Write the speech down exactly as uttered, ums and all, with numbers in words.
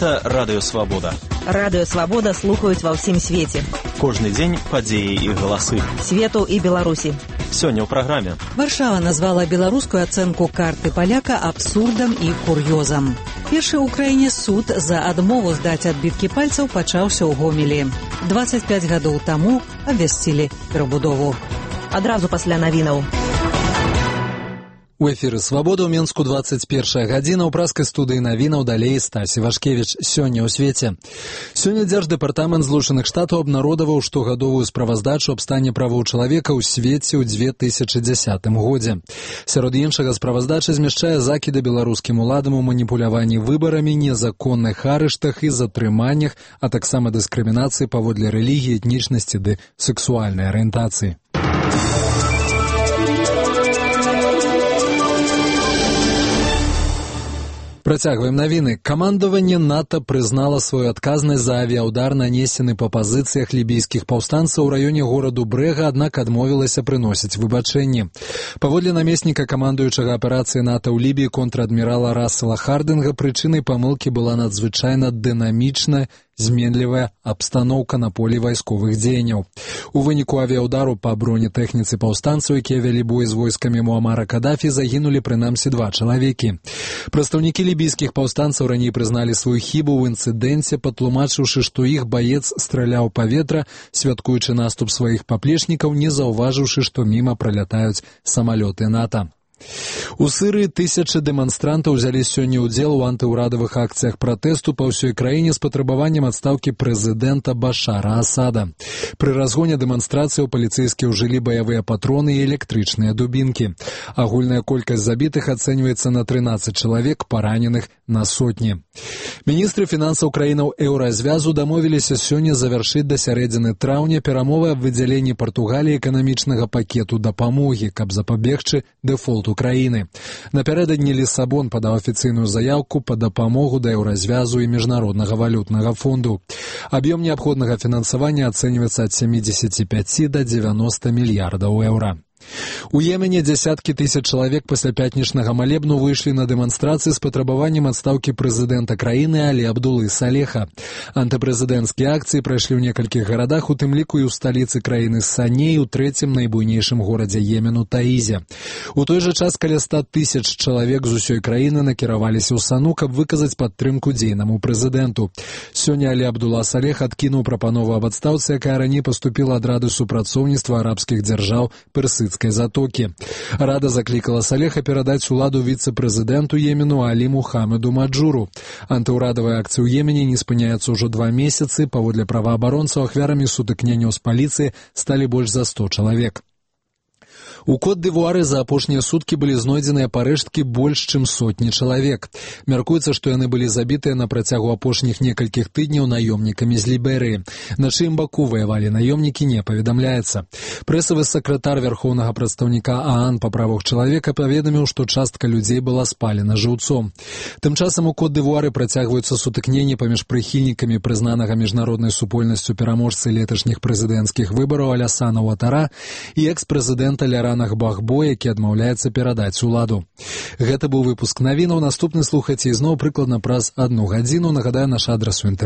Гэта Радыё Свабода. Радыё Свабода слухаюць ва ўсім свеце. Кожны дзень падзеі і галасы. Свету і Беларусі. Сёння ў праграме. Варшава назвала беларускую ацэнку карты паляка абсурдам і кур'ёзам. Першы ў краіне суд за адмову здаць адбіткі пальцаў пачаўся ў Гомелі. дваццаць пяць гадоў таму абвясцілі перабудову. Адразу пасля навінаў. У эфіры «Свабода» ў Менску двадцать первая гадзіна, ў праскай студыі навінаў далей Стасі Вашкевіч. Сёння ў свеце. Сёння Дзярждэпартамент Злучаных Штатаў абнародаваў штогадовую справаздачу аб стане правоў чалавека ў свеце ў дзве тысячы дзесятым годзе. Сярод іншага справаздача змяшчае закіды беларускім уладам у маніпуляванні выбарамі, незаконных арыштах і затрыманнях, а таксама дыскрымінацыі паводле рэлігіі, этнічнасці ды сексуальнай арыентацыі. Працягваем навіны. Камандаванне НАТО прызнала сваю адказнасць за авіяўдар, нанесены па пазіцыях лібійскіх паўстанцаў у раёне гораду Брэга, аднак адмовілася прыносіць выбачэнні. Паводле намесніка камандуючага аперацыі НАТО ў Лібіі контр-адмірала Рассела Хардинга, прычынай памылкі была надзвычайна дынамічная, зменлівая абстаноўка на полі вайсковых дзеянняў. У выніку авіяўдару па бронетэхніцы паўстанцаў, якія вялі бой з войскамі Муамара Кадафі, загінулі прынамсі два чалавекі. Прадстаўнікі лібійскіх паўстанцаў раней прызналі сваю хібу ў інцыдэнце, патлумачыўшы, што іх баец страляў паветра, святкуючы наступ сваіх паплечнікаў, не заўважыўшы, што міма пралятаюць самалёты НАТО. У Сырыі тысячы дэманстрантаў узялі сёння ўдзел у антыўрадавых акцыях пратэсту па ўсёй краіне з патрабаваннем адстаўкі прэзідэнта Башара Асада. Пры разгоне дэманстрацыяў паліцэйскія ўжылі баявыя патроны і электрычныя дубінкі. Агульная колькасць забітых ацэньваецца на трынаццаць чалавек, параненых на сотні. Міністры фінансаў краінаў еўразвязу дамовіліся сёння завяршыць да сярэдзіны траўня перамовы аб выдзяленні Партугаліі эканамічнага пакету дапамогі, каб запабегчы дэфолту краіны. Напярэдадні Лісабон падаў афіцыйную заяўку па дапамогу да еўразвязу і міжнароднага валютнага фонду. Аб'ём неабходнага фінансавання ацэньваецца ад сямідзесяці пяці да дзевяноста мільярдаў еўра. У Йемене дзясяткі тысяч чалавек пасля пятнічнага малебну выйшлі на дэманстрацыі з патрабаваннем адстаўкі прэзідэнта краіны Алі Абдулы Салеха. Антыпрэзідэнцкія акцыі прайшлі ў некалькіх гарадах, у тым ліку і ў сталіцы краіны Саней, у трэцім найбуйнейшым горадзе Йемену Таізе. У той жа час каля ста тысяч чалавек з усёй краіны накіраваліся ў Сану, каб выказаць падтрымку дзейнаму прэзідэнту. Сёння Алі Абдула Салех адкінуў прапанову аб адстаўцы, якая раней паступіла ад Рады супрацоўніцтва арабскіх дзяржаў Персыцкай затокі. Рада заклікала Салеха перадаць уладу віцэ-прэзідэнту Йемену Алі Мухаммеду Маджуру. Антыўрадавыя акцыі ў Йемене не спыняюцца ўжо два месяцы. Паводле праваабаронцаў, ахвярамі сутыкненняў з паліцыяй сталі больш за сто чалавек. У Кот-д'Івуары за апошнія суткі былі знойдзеныя парэшткі больш чым сотні чалавек. Мяркуецца, што яны былі забітыя на працягу апошніх некалькіх тыдняў наёмнікамі з Ліберыі. На чыім баку ваявалі наёмнікі, не паведамляецца. Прэсавы сакратар вярхоўнага прадстаўніка ААН па правах чалавека паведаміў, што частка людзей была спалена жыўцом. Тым часам у Кот-д'Івуары працягваюцца сутыкненні паміж прыхільнікамі прызнанага міжнароднай супольнасцю пераможцы леташніх прэзідэнцкіх выбараў Алясана Уатара і экс-прэзідэнта Ляра Бахбо, які адмаўляецца перадаць уладу. Гэта быў выпуск навінаў. Наступны слухайце ізноў прыкладна праз адну гадзіну. Нагадаю, наш адрас у інтэрнэце.